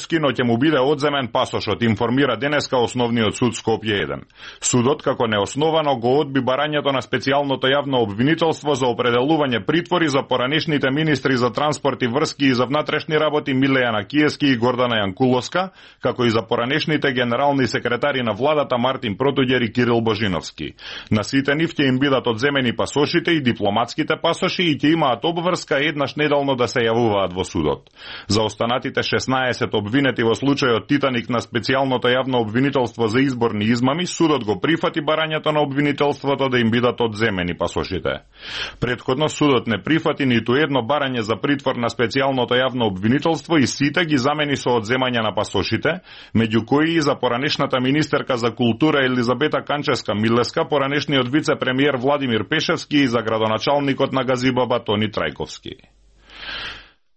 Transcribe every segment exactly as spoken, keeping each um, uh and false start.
Зверевски, но ќе му биде одземен пасошот, информира денеска Основниот суд Скопје еден. Судот како неосновано го одби барањето на специјалното јавно обвинителство за определување притвори за поранешните министри за транспорт и врски и за внатрешни работи Милејана Киески и Гордана Јанкуловска, како и за поранешните генерални секретари на владата Мартин Протуѓер и Кирил Божиновски. На сите нив ќе им бидат одземени пасошите и дипломатските пасоши и ќе имаат обврска еднаш неделно да се јавуваат во судот. За останатите шеснаесет обвинети во случајот Титаник на специјалното јавно обвинителство за изборни измами, судот го прифати барањето на обвинителството да им бидат одземени пасошите. Претходно судот не прифати ниту едно барање за притвор на специјалното јавно обвинителство и сите ги замени со одземање на пасошите, меѓу кои и за поранешната министерка за култура Елизабета Канческа-Милеска, поранешниот вице-премиер Владимир Пешевски и за градоначалникот на Газибаба Тони Трајковски.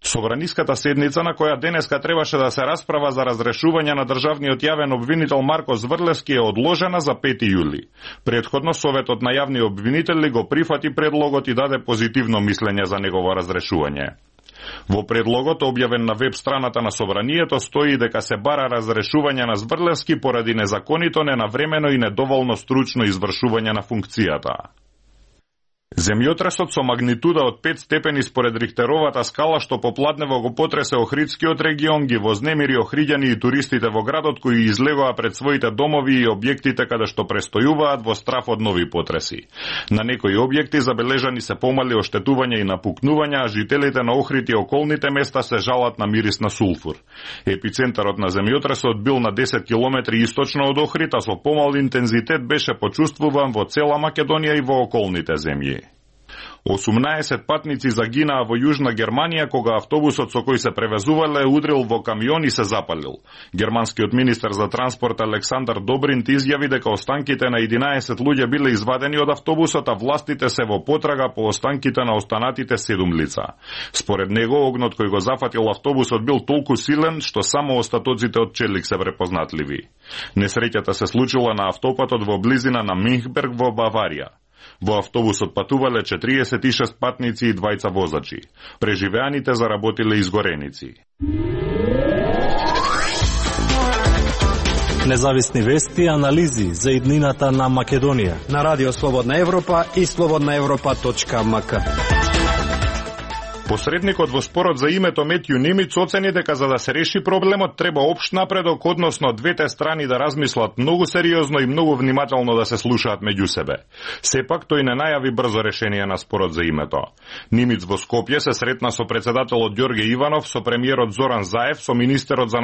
Собраниската седница на која денеска требаше да се расправа за разрешување на државниот јавен обвинител Марко Зврлевски е одложена за пети јули. Предходно Советот на јавни обвинители го прифати предлогот и даде позитивно мислење за негово разрешување. Во предлогот, објавен на веб страната на Собранието, стои дека се бара разрешување на Зврлевски поради незаконито, ненавремено и недоволно стручно извршување на функцијата. Земјотресот со магнитуда од пет степени според Рихтеровата скала што попладнево го потресе Охридскиот регион ги вознемири охриѓани и туристите во градот кои излегоа пред своите домови и објектите каде што престојуваат во страф од нови потреси. На некои објекти забележани се помали оштетувања и напукнувања, а жителите на Охрид и околните места се жалат на мирис на сулфур. Епицентарот на земјотресот бил на десет километри источно од Охрид, а со помал интензитет беше почувствуван во цела Македонија и во околните земји. осумнаесет патници загинаа во Јужна Германија кога автобусот со кој се превезувале удрил во камион и се запалил. Германскиот министер за транспорт Александар Добринт изјави дека останките на единаесет луѓе биле извадени од автобусот, а властите се во потрага по останките на останатите седум лица. Според него, огнот кој го зафатил автобусот бил толку силен што само остатоците од челик се препознатливи. Несреќата се случила на автопатот во близина на Минхберг во Баварија. Во автобусот патувале четириесет и шест патници и двајца возачи. Преживеаните заработиле изгореници. Независни вести и анализи за иднината на Македонија на Радио Слободна Европа и слободна европа точка ем ка. Посредникот во спорот за името Метју Немиц оцени дека за да се реши проблемот треба општ напредок, односно двете страни да размислат многу сериозно и многу внимателно да се слушаат меѓу себе. Сепак тој не најави брзо решение на спорот за името. Немиц во Скопје се сретна со председателот Ѓорге Иванов, со премиерот Зоран Заев, со министерот за